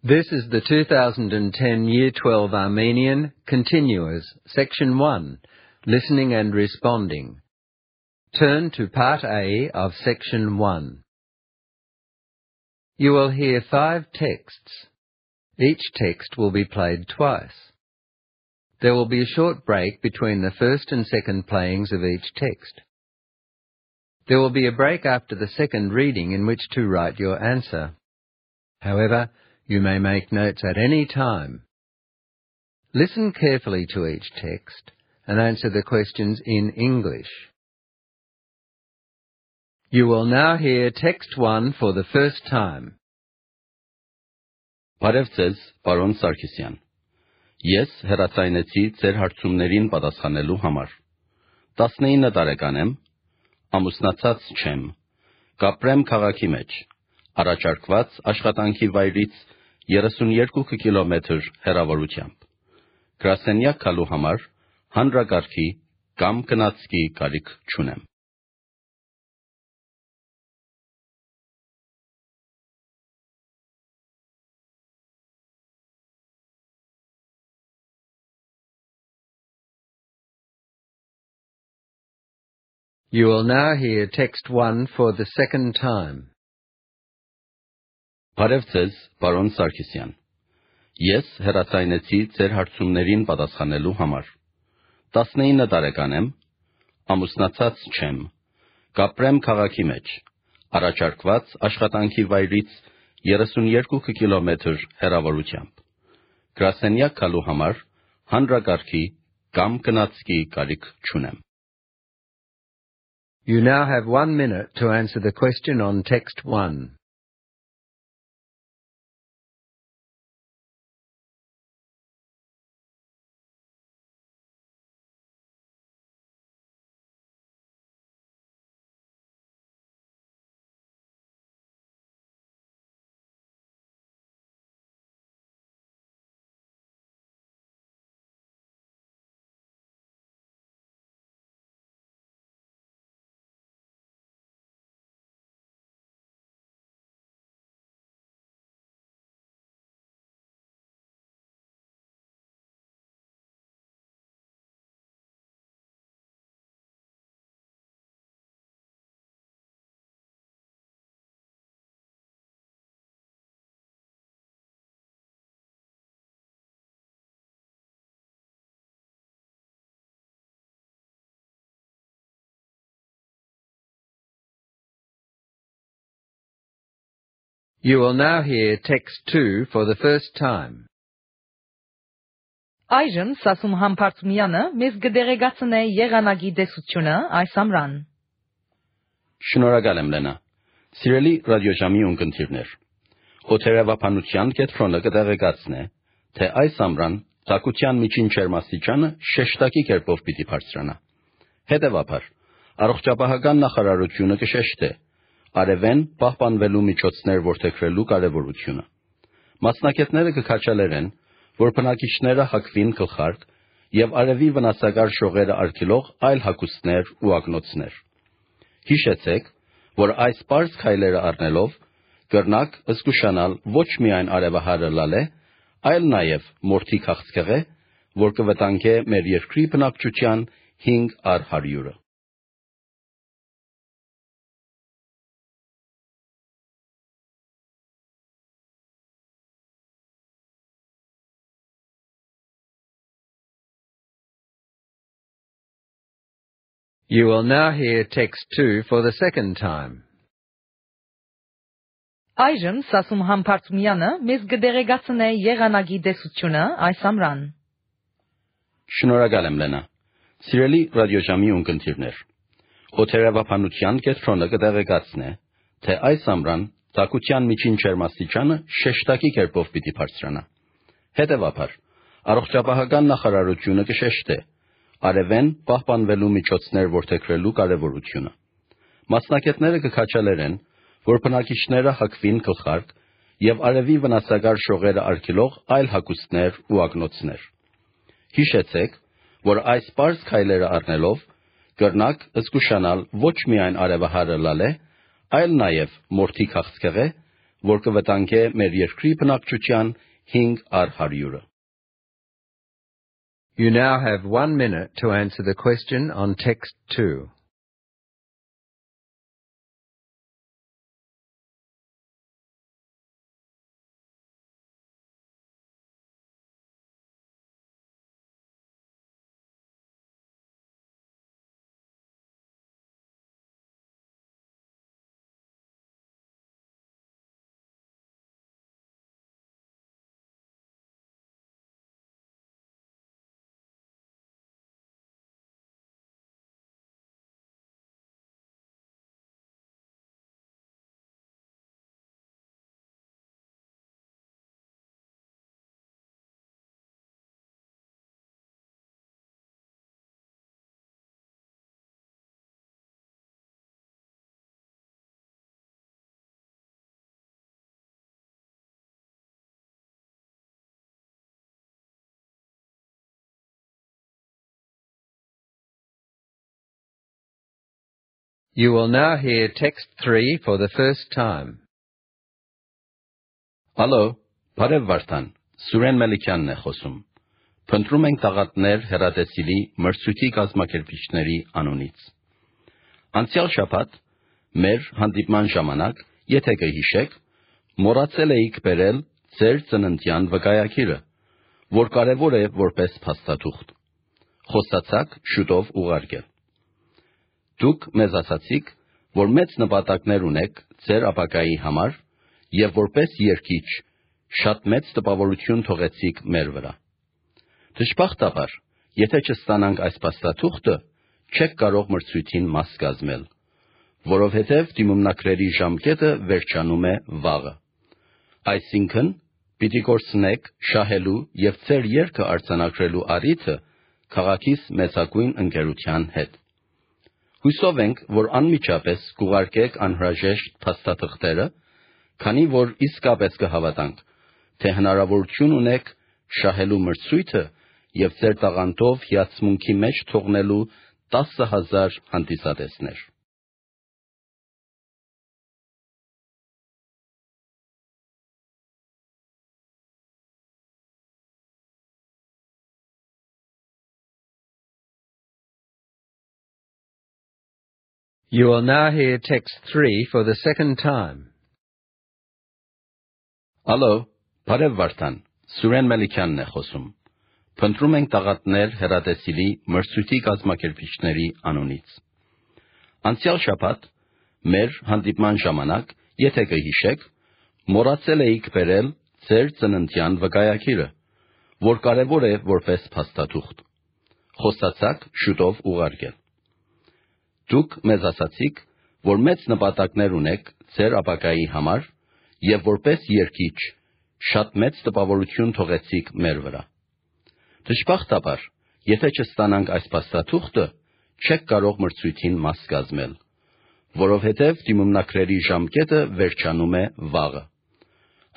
This is the 2010 Year 12 Armenian Continuous, Section 1, Listening and Responding. Turn to Part A of Section 1. You will hear 5 texts. Each text will be played twice. There will be a short break between the first and second playings of each text. There will be a break after the second reading in which to write your answer. However, you may make notes at any time. Listen carefully to each text and answer the questions in English. You will now hear text 1 for the first time. Բարև ձեզ, պարոն Սարգսյան։ Ես հեռացայնեցի ձեր հարցումներին պատասխանելու համար։ 19 տարեկան եմ, ամուսնացած չեմ, կապրեմ քաղաքի մեջ, առաջարկված աշխատանքի վայրից 32 կիլոմետր հեռավորությամբ։ Գրասենյակ գալու համար հանրակարգի կամ գնացքի կարիք չունեմ։ You will now hear text 1 for the second time. Բարև ձեզ, պարոն Սարգսյան։ Ես հեռացայնեցի ձեր հարցումներին պատասխանելու համար։ 19 տարեկան եմ, ամուսնացած չեմ, կապրեմ քաղաքի մեջ, առաջարկված աշխատանքի վայրից 32 կիլոմետր հեռավորությամբ։ Գրասենյակ գալու համար հանրակարգի կամ գնացքի կարիք չունեմ։ You now have 1 minute to answer the question on text 1. You will now hear text 2 for the first time. Այժմ Սասում Համբարձումյանը մեզ կդեղեկացնե եղանակի տեսությունը այս ամռան։ Շնորհակալ եմ, Լենա։ Սիրելի ռադիոժամի ունկնդիրներ, օդերևափանության կենտրոնը կդեղեկացնե, թե այս ամռան ցակության միջին ջերմաստիճանը շեշտակի կերպով պիտի բարձրանա։ Հետևաբար, առողջապահական նախարարությունը կշեշտե արևեն պահպանվելու միջոցներ որդեգրելու կարևորությունը։ Մասնակիցները կքաջալերեն, որ բնակիչները հագվին գլխարկ եւ արևի վնասակար շողերը արգելող այլ հագուստներ ու ակնոցներ։ Հիշեցեք, որ այս պարզ քայլերը առնելով կրնակ զգուշանալ ոչ միայն արևահարը լալե, այլ նաեւ մորթի քաղցկեղը, որ կվտանգե մեր երկրի բնակչության 5/100-ը։ You will now hear text 2 for the second time. Այժմ Սասում Համբարձումյանը մեզ կդեղեկացնե եղանակի տեսությունը այս ամռան։ Շնորհակալ եմ, Լենա։ Սիրելի ռադիոժամի ունկնդիրներ, օդերևափանության կենտրոնը կդեղեկացնե, թե այս ամռան ցակության միջին ջերմաստիճանը շեշտակի կերպով պիտի բարձրանա։ Հետևաբար, առողջապահական նախարարությունը կշեշտե արևեն պահպանվելու միջոցներ որդեգրելու կարևորությունը։ Մասնակիցները կքաջալերեն, որ բնակիչները հագվին գլխարկ եւ արևի վնասակար շողերը արգելող այլ հագուստներ ու ակնոցներ։ Հիշեցեք, որ այս պարզ քայլերը առնելով կրնակ զգուշանալ ոչ միայն արևահարը լալե, այլ նաեւ մորթի քաղցկեղը, որ կվտանգե մեր երկրի բնակչության 5/100-ը։ You now have 1 minute to answer the question on text 2. You will now hear text 3 for the first time. Ալո, բարև Վարդան, Սուրեն Մելիքյանն է խոսում։ Փնտրում ենք տաղատներ հեռատեսիլի մրցույթի կազմակերպիչների անունից։ Անցյալ շաբաթ մեր հանդիպման ժամանակ, եթե կհիշեք, մոռացել էիք բերել ձեր ծննդյան վկայակիրը, որ կարևոր է որպես փաստաթուղթ։ Խոստացաք շուտով ուղարկել։ Դուք մեզ ասացիք, որ մեծ նպատակներ ունեք ձեր ապագայի համար եւ որպես երկիչ շատ մեծ տպավորություն թողեցիք մեր վրա։ Դժբախտաբար, եթե չստանանք այս փաստաթուղթը, չեք կարող մրցույթին մաս կազմել, որովհետև դիմումնակրերի ժամկետը վերջանում է վաղը։ Այսինքն, պիտի կորցնեք շահելու եւ ձեր երգը արձանագրելու առիթը քաղաքիս մեծագույն ընկերության հետ։ Հույսով ենք, որ անմիջապես կուղարկեք անհրաժեշտ փաստաթղթերը, քանի որ իսկապես կհավատանք, թե հնարավորություն ունեք շահելու մրցույթը եւ ձեր տաղանդով հիացմունքի մեջ թողնելու 10,000 հանդիսատեսներ։ You will now hear text 3 for the second time. Ալո, բարև Վարդան, Սուրեն Մելիքյանն է խոսում։ Փնտրում ենք տաղատներ հեռատեսիլի մրցույթի կազմակերպիչների անունից։ Անցյալ շաբաթ մեր հանդիպման ժամանակ, եթե կհիշեք, մոռացել էիք բերել ձեր ծննդյան վկայակիրը, որ կարևոր է որպես փաստաթուղթ։ Խոստացաք շուտով ուղարկել։ Դուք մեզ ասացիք, որ մեծ նպատակներ ունեք ձեր ապագայի համար եւ որպես երկիչ շատ մեծ տպավորություն թողեցիք մեր վրա։ Դժբախտաբար, եթե չստանանք այս փաստաթուղթը, չեք կարող մրցույթին մաս կազմել, որովհետև դիմումնակրերի ժամկետը վերջանում է վաղը։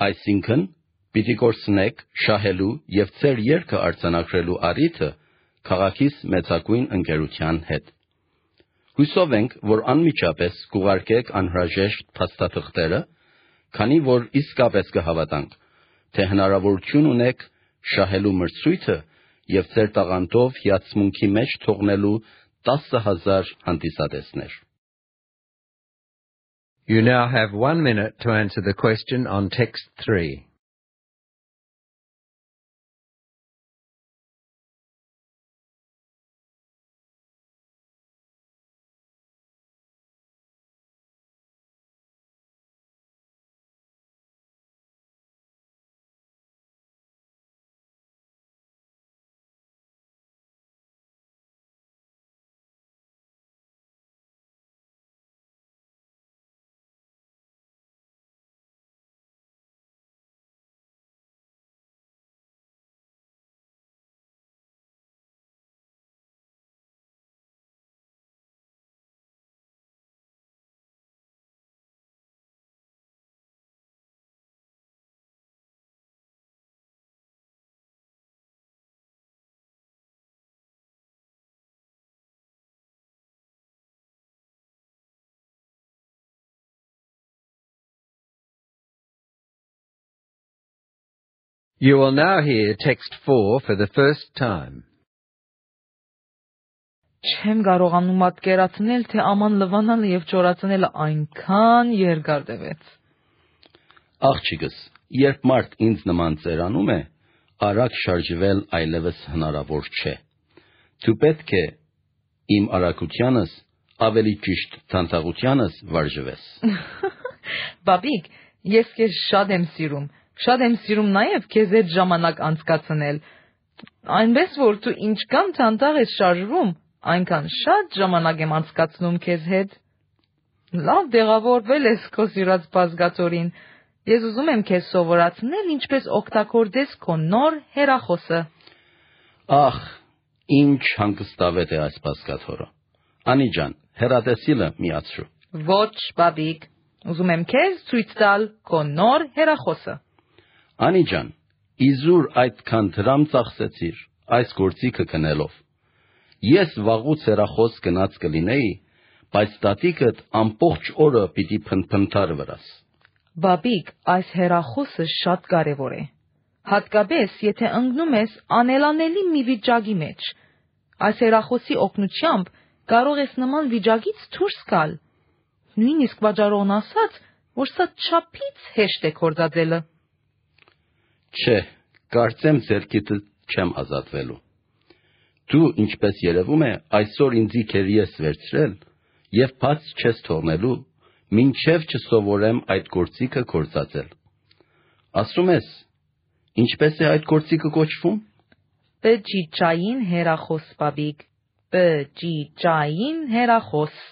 Այսինքն, պիտի կորցնեք շահելու եւ ձեր երգը արձանագրելու առիթը քաղաքիս մեծագույն ընկերության հետ։ Հույսով ենք, որ անմիջապես կուղարկեք անհրաժեշտ փաստաթղթերը, քանի որ իսկապես կհավատանք, թե հնարավորություն ունեք շահելու մրցույթը եւ ձեր տաղանդով հիացմունքի մեջ թողնելու 10,000 հանդիսատեսներ։ You now have 1 minute to answer the question on text 3. You will now hear text 4 for the first time. Չեմ կարողանում պատկերացնել, թե աման լվանալը եւ ճորացնելը այնքան երկար տևեց։ Աղջիկս, երբ մարդ ինձ նման ծերանում է, արագ շարժվել այլևս հնարավոր չէ։ Դու պետք է իմ արագությանս, ավելի ճիշտ թանթաղությանս վարժվես։ Բաբիկ, ես քեզ շատ եմ սիրում նաեւ քեզ հետ ժամանակ անցկացնել։ Այնպես որ դու ինչքան թանթաղ ես շարժվում, այնքան շատ ժամանակ եմ անցկացնում քեզ հետ։ Լավ դեղավորվել ես քո սիրած բազգաթորին։ Ես ուզում եմ քեզ սովորացնել ինչպես օգտագործես քո նոր հեռախոսը։ Ախ, ինչ հանգստավետ է այս բազգաթորը։ Անի ջան, հեռատեսիլը միացրու։ Ոչ, բաբիկ, ուզում եմ քեզ ցույց տալ քո նոր հեռախոսը։ Անի ջան, իզուր այդքան դրամ ծախսեցիր այս գործիքը գնելով։ Ես վաղուց հեռախոս գնաց կլինեի, բայց տատիկդ ամբողջ օրը պիտի փնփնթար վրաս։ Բաբիկ, այս հեռախոսը շատ կարևոր է։ Հատկապես, եթե ընկնում ես անելանելի մի վիճակի մեջ։ Այս հեռախոսի օգնությամբ կարող ես նման վիճակից դուրս գալ։ Նույնիսկ վաճառողն ասաց, որ սա չափից հեշտ է գործածելը։ Չէ, կարծեմ ձեռքիդ չեմ ազատվելու։ Դու, ինչպես երևում է, այսօր ինձի քերի ես վերցրել եւ բաց չես թողնելու, մինչև չսովորեմ այդ գործիքը գործածել։ Ասում ես, ինչպես է այդ գործիքը կոչվում։ Բջջային հեռախոս, բաբիկ, բջջային հեռախոս։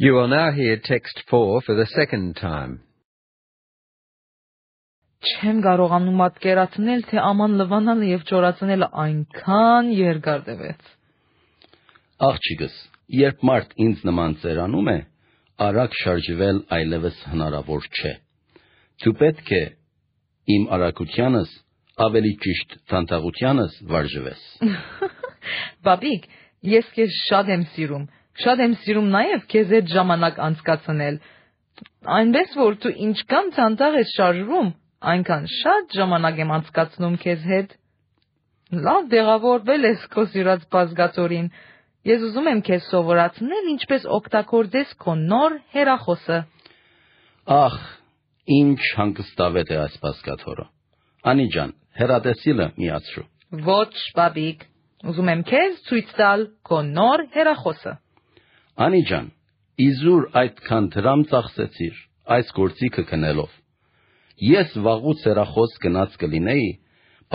You will now hear text 4 for the second time. Չեմ կարողանում պատկերացնել, թե աման լվանալը եւ ճորացնելը այնքան երկար տևեց։ Աղջիկս, երբ մարդ ինձ նման ծերանում է, արագ շարժվել այլևս հնարավոր չէ։ Դու պետք է իմ արագությանս, ավելի ճիշտ թանթաղությանս վարժվես։ Բաբիկ, ես քեզ շատ եմ սիրում նաեւ քեզ հետ ժամանակ անցկացնել։ Այնպես որ դու ինչքան թանթաղ ես շարժվում, այնքան շատ ժամանակ եմ անցկացնում քեզ հետ։ Լավ դեղավորվել ես քո սիրած բազգաթորին։ Ես ուզում եմ քեզ սովորացնել ինչպես օգտագործես քո նոր հեռախոսը։ Ախ, ինչ հանգստավետ է այս բազգաթորը։ Անի ջան, հեռատեսիլը միացրու։ Ոչ, բաբիկ, ուզում եմ քեզ ցույց տալ քո նոր հեռախոսը։ Անի ջան, իզուր այդքան դրամ ծախսեցիր այս գործիքը գնելով։ Ես վաղուց հեռախոս գնաց կլինեի,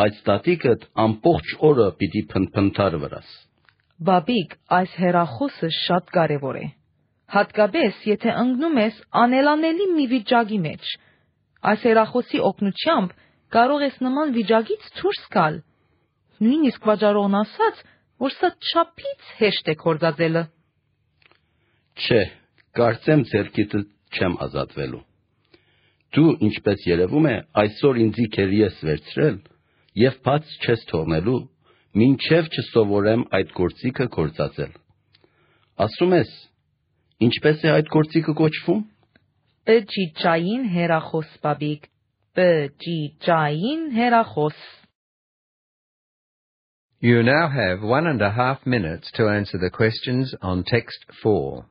բայց տատիկդ ամբողջ օրը պիտի փնփնթար վրաս։ Բաբիկ, այս հեռախոսը շատ կարևոր է։ Հատկապես, եթե ընկնում ես անելանելի մի վիճակի մեջ։ Այս հեռախոսի օգնությամբ կարող ես նման վիճակից դուրս գալ։ Նույնիսկ վաճառողն ասաց, որ սա չափից հեշտ է գործածելը։ Չէ, կարծեմ ձեռքիդ չեմ ազատվելու։ Դու, ինչպես երևում է, այսօր ինձի քերի ես վերցրել եւ բաց չես թողնելու, մինչև չսովորեմ այդ գործիքը գործածել։ Ասում ես, ինչպես է այդ գործիքը կոչվում։ Բջջային հեռախոս, բաբիկ, բջջային հեռախոս։ You now have 1.5 minutes to answer the questions on text 4.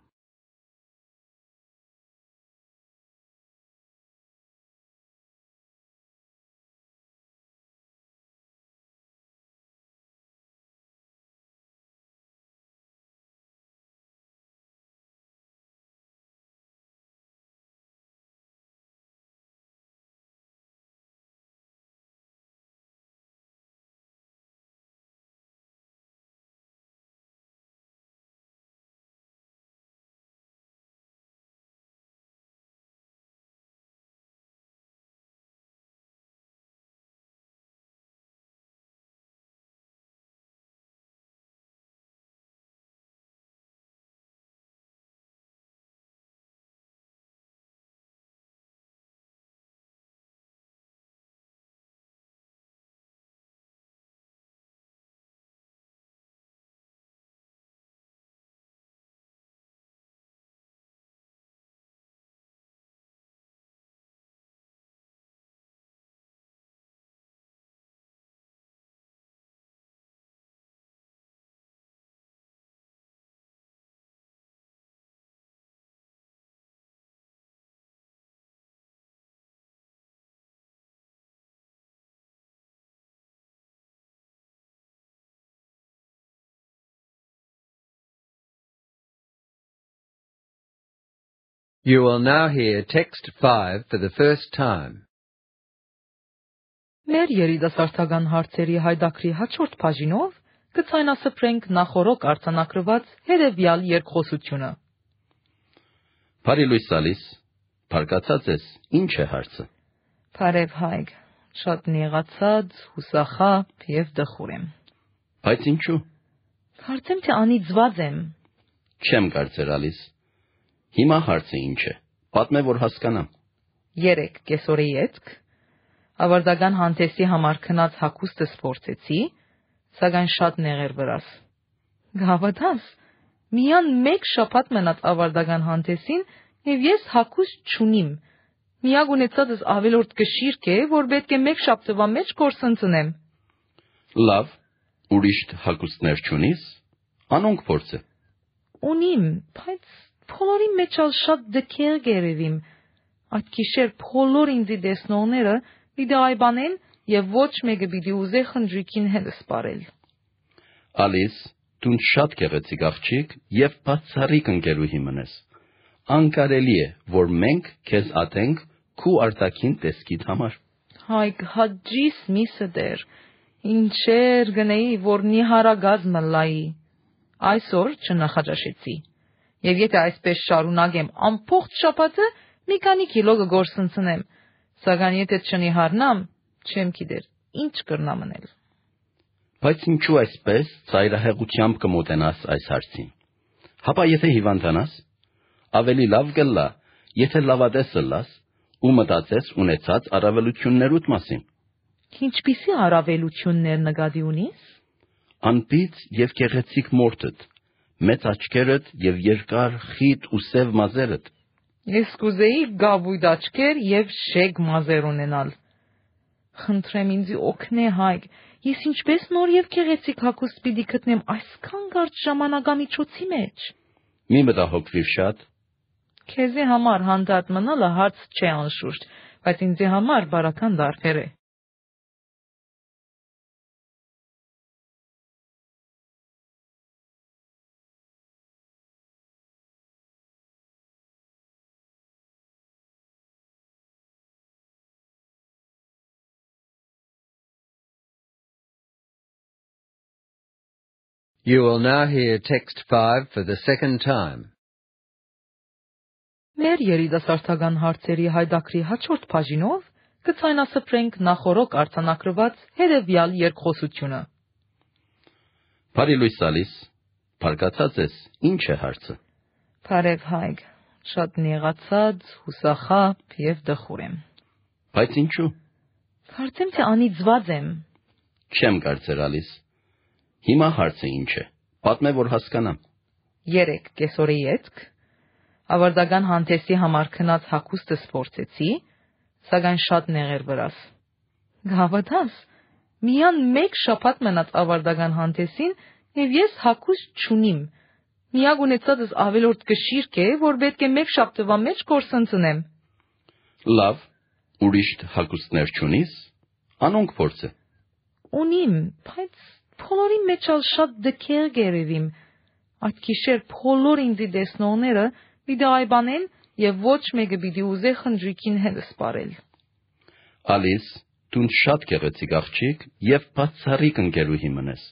You will now hear text 5 for the first time. Մեր երիտասարդական հարցերի հայդակրի հաջորդ բաժինով կցանասփռենք նախորոք արձանագրված հետևյալ երկխոսությունը։ Բարի լույս տալիս, բարգացած ես, ինչ է հարցը։ Բարև Հայկ, շատ նեղացած, հուսախաբ եւ դխուր եմ։ Բայց ինչու։ Կարծեմ թե անիծված եմ։ Չեմ կարծեր Ալիս։ Հիմա հարցը ինչ է։ Պատմե որ հասկանամ։ 3 կեսօրի ետք ավարտական հանդեսի համար քնած հագուստս փորձեցի, սակայն շատ նեղեր վրաս։ Գավաթաս, միան մեկ շաբաթ մնաց ավարտական հանդեսին եւ ես հագուստ չունիմ։ Միակ ունեցածս ավելորդ կշիրք է, որ պետք է մեկ շաբթվա մեջ կորսնցնեմ։ Լավ, ուրիշ հագուստներ չունիս, անոնք փորձը։ Ունիմ, բայց փոլորի մեջ ալ շատ դքեր գերևիմ։ Այդ գիշեր փոլոր ինձի դեսնողները իդայբանեն եւ ոչ մեկը պիտի ուզե խնջույքին հետ սպարել։ Ալիս, դու շատ գեղեցիկ աղջիկ եւ բացառիկ ընկերուհի մնես։ Անկարելի է, որ մենք քեզ ատենք քու արտաքին տեսքիդ համար։ Հայք հաջիս միսը դեր, ինչեր գնեի, որ նիհարագազ մլայի։ Այսօր չնախաճաշեցի։ Եվ եթե այսպես շարունակեմ ամբողջ շաբաթը, մի քանի կիլո կգործնցնեմ, սակայն եթե չնիհարնամ, չեմ գիտեր, ինչ կրնամ անել։ Բայց ինչու այսպես ծայրահեղությամբ կմոտենաս այս հարցին։ Հապա եթե հիվանդանաս, ավելի լավ կլա, եթե լավադես լաս ու մտածես ունեցած առավելություններուդ մասին։ Ինչպիսի առավելություններ նկատի ունիս։ Անպից եւ գեղեցիկ մորթդ, մեծ աչքերդ եւ երկար, խիտ ու սև մազերդ։ Ես կուզեի գավույտ աչքեր եւ շեգ մազեր ունենալ։ Խնդրեմ ինձ օգնե Հայկ, ես ինչպես նոր եւ գեղեցիկ հագուստ պիտի գտնեմ այսքան կարճ ժամանակամիջոցի մեջ։ Մի մտահոգվիր շատ։ Քեզի համար հանդարտ մնալը հարց չէ անշուշտ, բայց ինձի համար բարական դարբեր է։ You will now hear text 5 for the second time. Մեր երիտասարդական հարցերի հայդակրի հաջորդ բաժինով կցանասփռենք նախորոք արձանագրված հետևյալ երկխոսությունը։ Բարի լույս տալիս, բարգացած ես, ինչ է հարցը։ Բարև Հայկ, շատ նեղացած, հուսախաբ եւ դխուր եմ։ Բայց ինչու։ Կարծեմ թե անիծված եմ։ Չեմ կարծեր Ալիս։ Հիմա հարցը ինչ է։ Պատմե որ հասկանամ։ 3 կեսօրի ետք ավարտական հանդեսի համար քնած հագուստս փորձեցի, սակայն շատ նեղեր վրաս։ Գավաթաս, միան մեկ շաբաթ մնաց ավարտական հանդեսին եւ ես հագուստ չունիմ։ Միակ ունեցածս ավելորդ կշիրք է, որ պետք է մեկ շաբթվա մեջ կորսնցնեմ։ Լավ, ուրիշ հագուստներ չունիս, անոնք փորձը։ Ունիմ, բայց փոլորի մեջ ալ շատ դքեր գերևիմ։ Այդ գիշեր փոլոր ինձի դեսնողները իդայբանեն եւ ոչ մեկը պիտի ուզե խնջույքին հետ սպարել։ Ալիս, դու շատ գեղեցիկ աղջիկ եւ բացառիկ ընկերուհի մնես։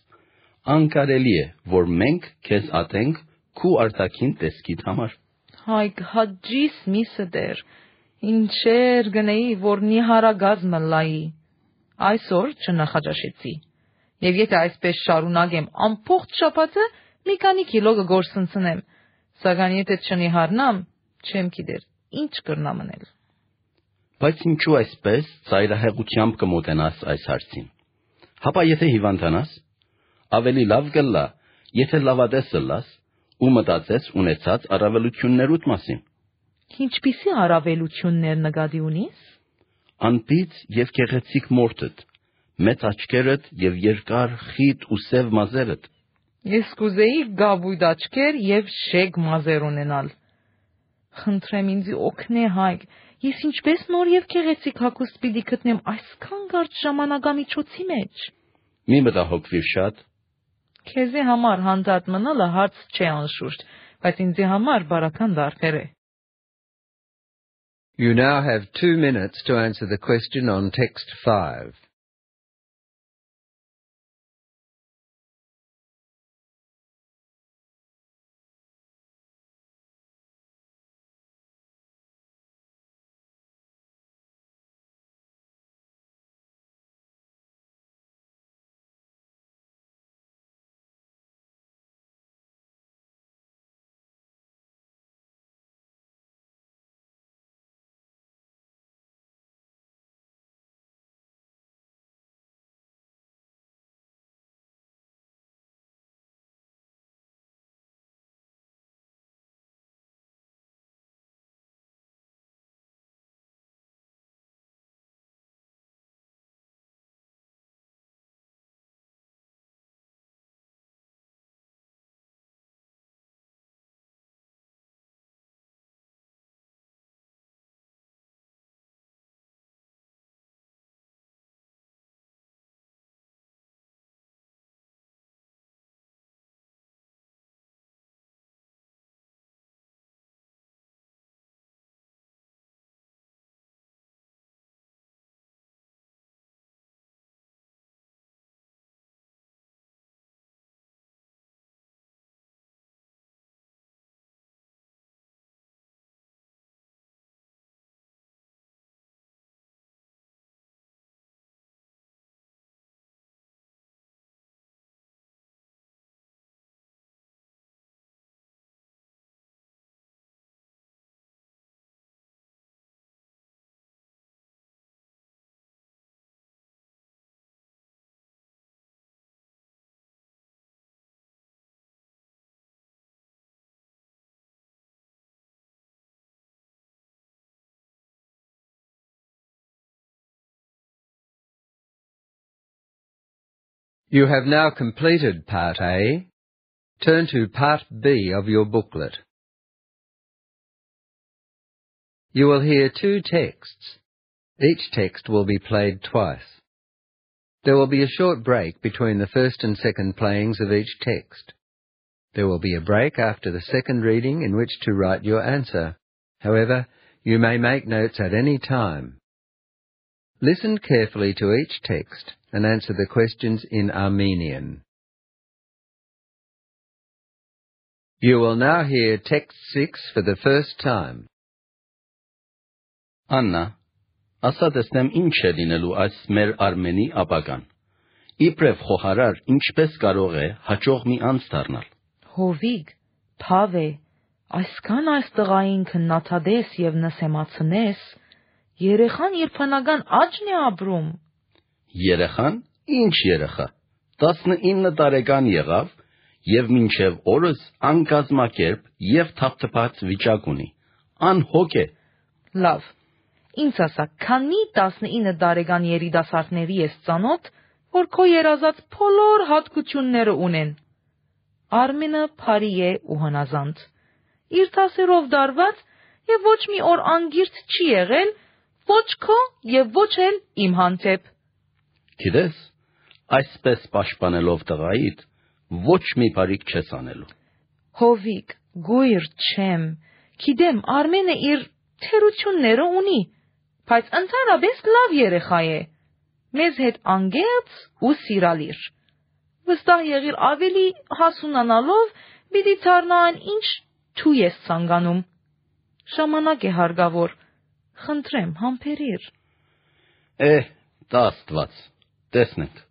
Անկարելի է, որ մենք քեզ ատենք քու արտաքին տեսքիդ համար։ Հայք հաջիս միսը դեր, ինչեր գնեի, որ նիհարագազ մլայի։ Այսօր չնախաճաշեցի։ Եվ եթե այսպես շարունակեմ ամբողջ շաբաթը, մի քանի կիլո կգործնցնեմ, սակայն եթե չնիհարնամ, չեմ գիտեր, ինչ կրնամ անել։ Բայց ինչու այսպես ծայրահեղությամբ կմոտենաս այս հարցին։ Հապա եթե հիվանդանաս, ավելի լավ կլա, եթե լավադես լաս ու մտածես ունեցած առավելություններուդ մասին։ Ինչպիսի առավելություններ նկատի ունիս։ Անպից եւ գեղեցիկ մորթդ, մեծ աչքերդ եւ երկար, խիտ ու սև մազերդ։ Ես կուզեի գավույտ աչքեր եւ շեգ մազեր ունենալ։ Խնդրեմ ինձ օգնե Հայկ, ես ինչպես նոր եւ գեղեցիկ հագուստ պիտի գտնեմ այսքան կարճ ժամանակամիջոցի մեջ։ Մի մտահոգվիր շատ։ Քեզի համար հանդարտ մնալը հարց չէ անշուշտ, բայց ինձի համար բարական դարբեր է։ You now have 2 minutes to answer the question on text 5. You have now completed Part A. Turn to Part B of your booklet. You will hear 2 texts. Each text will be played twice. There will be a short break between the first and second playings of each text. There will be a break after the second reading in which to write your answer. However, you may make notes at any time. Listen carefully to each text and answer the questions in Armenian. You will now hear text 6 for the first time. Աննա, ասա տեսնեմ ինչ է լինելու այս մեր Արմենի ապագան։ Իբրև խոհարար ինչպես կարող է հաջող մի անձ դառնալ։ Հովիկ, Փավե, այսքան այս տղային քննադատես եւ նսեմացնես, երեխան երբանական աճն է ապրում։ Երեխան, ինչ երեխա։ 19 տարեկան եղավ եւ մինչեւ օրս անկազմակերպ եւ թափթփած վիճակ ունի։ Անհոգ է։ Լավ։ Ինձ ասա, քանի 19 տարեկան երիտասարդների ես ծանոթ, որ քո երազած բոլոր հատկությունները ունեն։ Արմենը բարի է ու հնազանդ։ Իր դասերով դարված եւ ոչ մի օր անգիրտ չի եղել, ոչ քո եւ ոչ էլ իմ հանդեպ։ Գիտես, այսպես պաշտպանելով տղայիդ, ոչ մի բարիք չես անելու։ Հովիկ, գույր չեմ, գիտեմ Արմենը իր թերությունները ունի, բայց ընդհանրապես լավ երեխա է, մեզ հետ անգերց ու սիրալիր։ Վստահ եղիր ավելի հասունանալով պիտի դառնան ինչ դու ես ցանկանում։ Ժամանակ է հարկավոր, խնդրեմ համբերիր։ Դա Աստված, տեսնենք։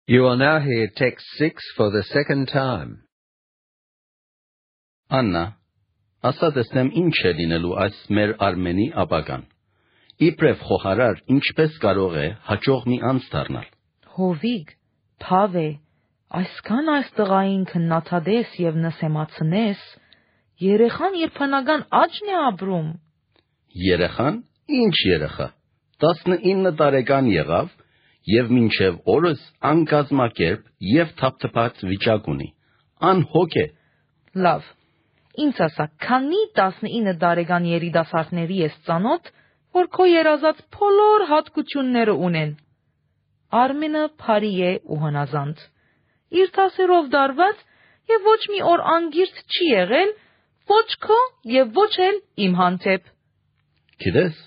You will now hear text 6 for the second time. Աննա, ասա տեսնեմ ինչ է լինելու այս մեր Արմենի ապագան։ Իբրև խոհարար ինչպես կարող է հաջող մի անձ դառնալ։ Հովիկ, Փավե, այսքան այս տղային քննադատես եւ նսեմացնես, երեխան երբանական աճն է ապրում։ Երեխան, ինչ երեխա։ 19 տարեկան եղավ եւ մինչեւ օրս անկազմակերպ եւ թափթփած վիճակ ունի։ Անհոգ է։ Լավ։ Ինձ ասա, քանի 19 տարեկան երիտասարդների ես ծանոթ, որ քո երազած բոլոր հատկությունները ունեն։ Արմենը բարի է ու հնազանդ։ Իր դասերով դարված եւ ոչ մի օր անգիրտ չի եղել, ոչ քո եւ ոչ էլ իմ հանդեպ։ Գիտես,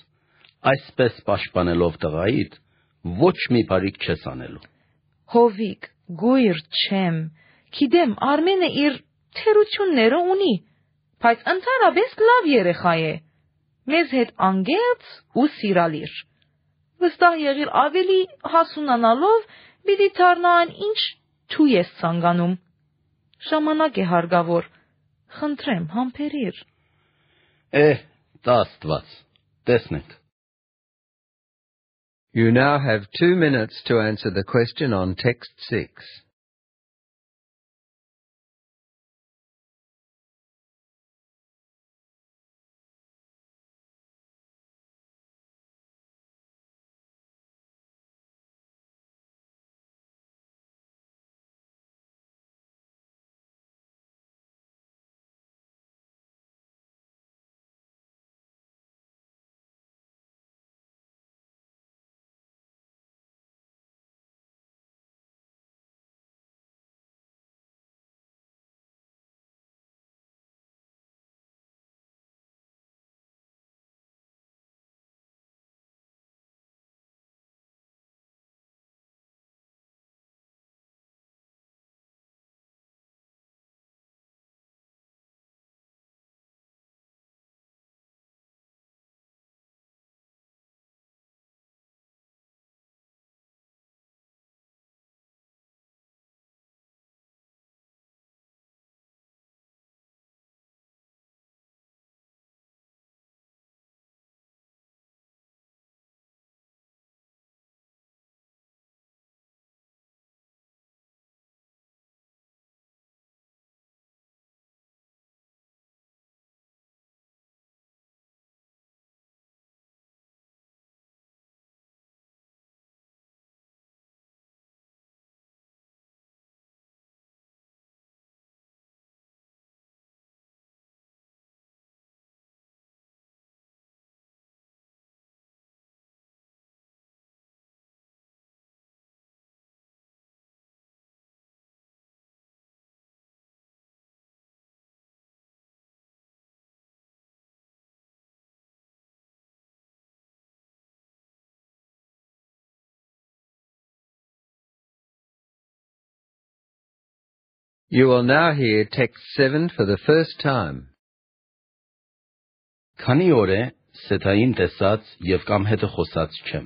այսպես պաշտպանելով տղայիդ, ոչ մի բարիք չես անելու։ Հովիկ, գույր չեմ, գիտեմ Արմենը իր թերությունները ունի, բայց ընդհանրապես լավ երեխա է, մեզ հետ անգերց ու սիրալիր։ Վստահ եղիր ավելի հասունանալով պիտի դառնան ինչ դու ես ցանկանում։ Ժամանակ է հարկավոր, խնդրեմ համբերիր։ Տա Աստված, տեսնենք։ You now have 2 minutes to answer the question on text 6. You will now hear text 7 for the first time. Քանի օր է Սեթային տեսած եւ կամ հետը խոսած չեմ։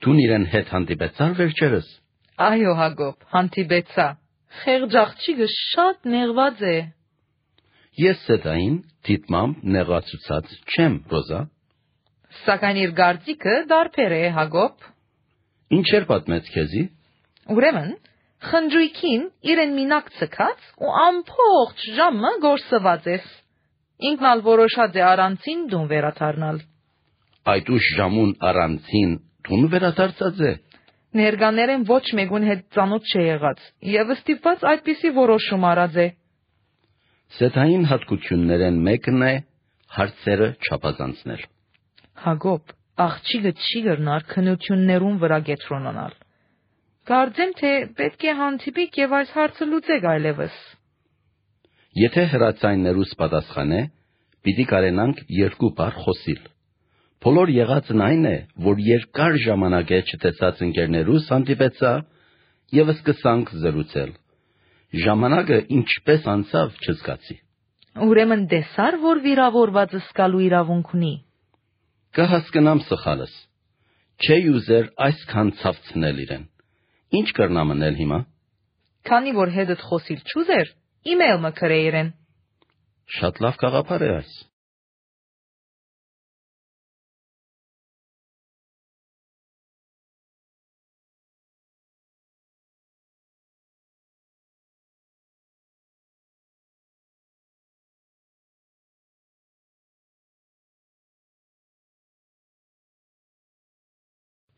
Դու իրեն հետ հանդիպեցար վերջերս։ Այո Հակոբ, հանդիպեցա։ Խեղճ աղջիկը շատ նեղված է։ Ես Սեթային դիտմամբ նեղացուցած չեմ, Ռոզա։ Սակայն իր գարտիկը դարբեր է, Հակոբ։ Ինչեր պատմեց քեզի։ Ուրեմն, խնջույքին իրեն մինակ ցկած ու ամբողջ ժամը գործված ես։ Ինքն ալ որոշած է առանցին դուն վերադառնալ։ Այդ ուշ ժամուն առանցին դուն վերադարձած է։ Ներկաներեն ոչ մեկուն հետ ծանոթ չի եղած եւ ստիպված այդպիսի որոշում արած է։ Սեթային հատկություններեն մեկն է հարցերը չափազանցնել։ Հակոբ, աղջիկը չի գրնար քնություններուն վրա կետրոնանալ։ Կարծեմ թե պետք է հանդիպիկ եւ այս հարցը լուծեք այլևս։ Եթե հրացայիններուս պատասխան է, պիտի կարենանք երկու բառ խոսիլ։ Բոլոր եղածն այն է, որ երկար ժամանակ է չտեսած ընկերներուս հանդիպեցա եւ սկսանք զրուցել։ Ժամանակը ինչպես անցավ չզգացի։ Ուրեմն դեսար, որ վիրավորվածը սկալու իրավունք ունի։ Կհասկնամ սխալս։ Չէ ուզեր այսքան ցավցնել իրեն։ Ինչ կրնամ անել հիմա։ Քանի որ հետդ խոսիլ չուզեր, email մը գրե իրեն։ Շատ լավ գաղափար է այս։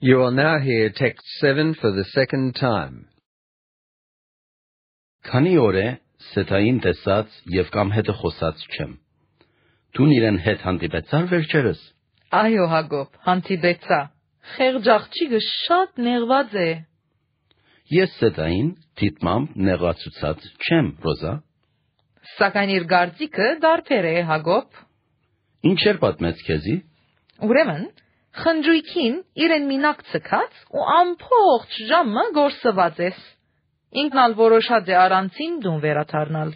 You will now hear text 7 for the second time. Քանի օր է Սեթային տեսած եւ կամ հետը խոսած չեմ։ Դու իրեն հետ հանդիպեցար վերջերս։ Այո, Հակոբ, հանդիպեցա։ Խեղճ աղջիկը շատ նեղված է։ Ես Սեթային դիտմամբ նեղացուցած չեմ, Ռոզա։ Սակայն իր գարձիկը դարբեր է, Հակոբ։ Ինչեր պատմեց քեզի։ Ուրեմն, խնջույքին իրեն մինակ ցկած ու ամբողջ ժամը գործված ես։ Ինքն ալ որոշած է առանցին դուն վերադառնալ։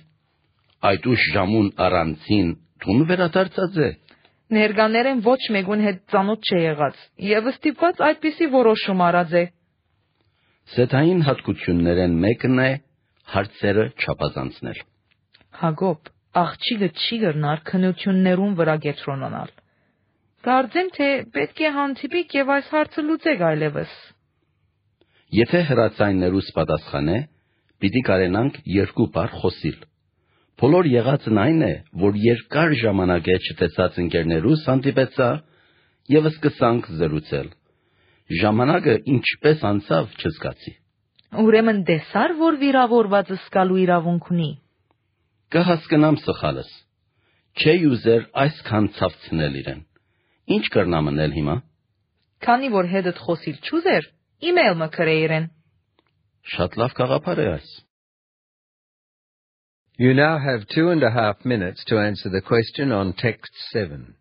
Այդ ուշ ժամուն առանցին դուն վերադարձած է։ Ներկաներեն ոչ մեկուն հետ ծանոթ չէ եղած եւ ստիպված այդպիսի որոշում արած է։ Սեթային հատկություններեն մեկն է հարցերը չափազանցնել։ Հակոբ, աղջիկը չի գրնար քննություններուն վրա կենտրոնանալ։ Կարծեմ, թե պետք է հանդիպիկ եւ այս հարցը լուծեք այլևս։ Եթե հրացայիններուս պատասխանե, պիտի կարենանք երկու բառ խոսիլ։ Բոլոր եղածն այն է, որ երկար ժամանակ է չտեսած ընկերներուս հանդիպեցա եւ սկսանք զրուցել։ Ժամանակը ինչպես անցավ չզգացի։ Ուրեմն դեսար, որ վիրավորվածը սկալու իրավունք ունի։ Կհասկնամ սխալս։ Չէի ուզեր այսքան ցավցնել իրեն։ Ինչ կրնամ անել հիմա։ Քանի որ հետդ խոսիլ չուզեր, email մը գրե իրեն։ Շատ լավ գաղափար է այս։ You now have 2.5 minutes to answer the question on text 7.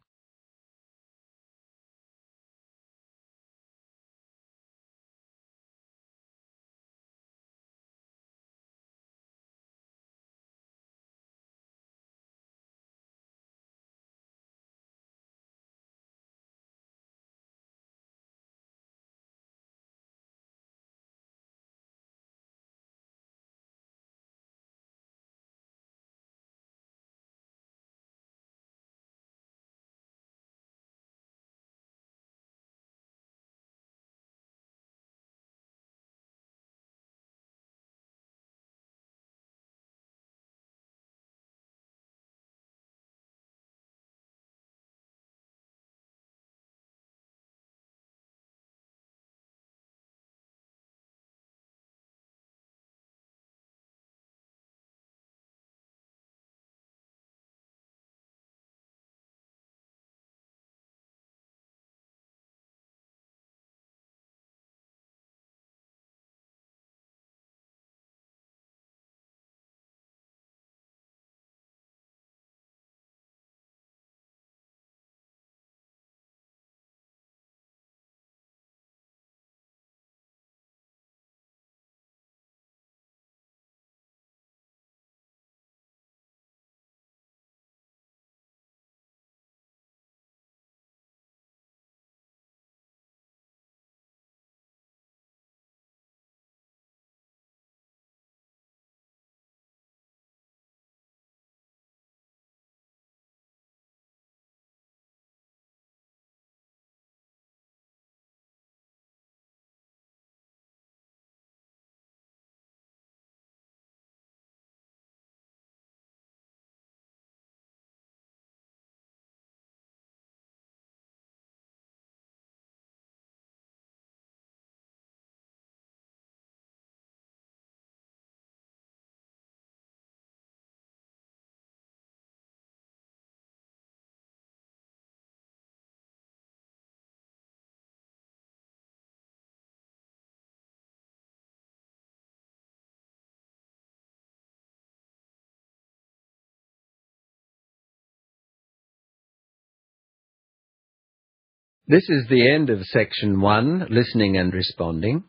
This is the end of section 1, listening and responding.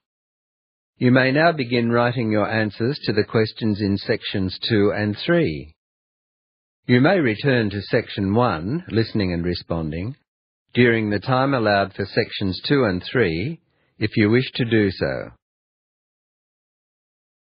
You may now begin writing your answers to the questions in sections 2 and 3. You may return to section 1, listening and responding, during the time allowed for sections 2 and 3, if you wish to do so.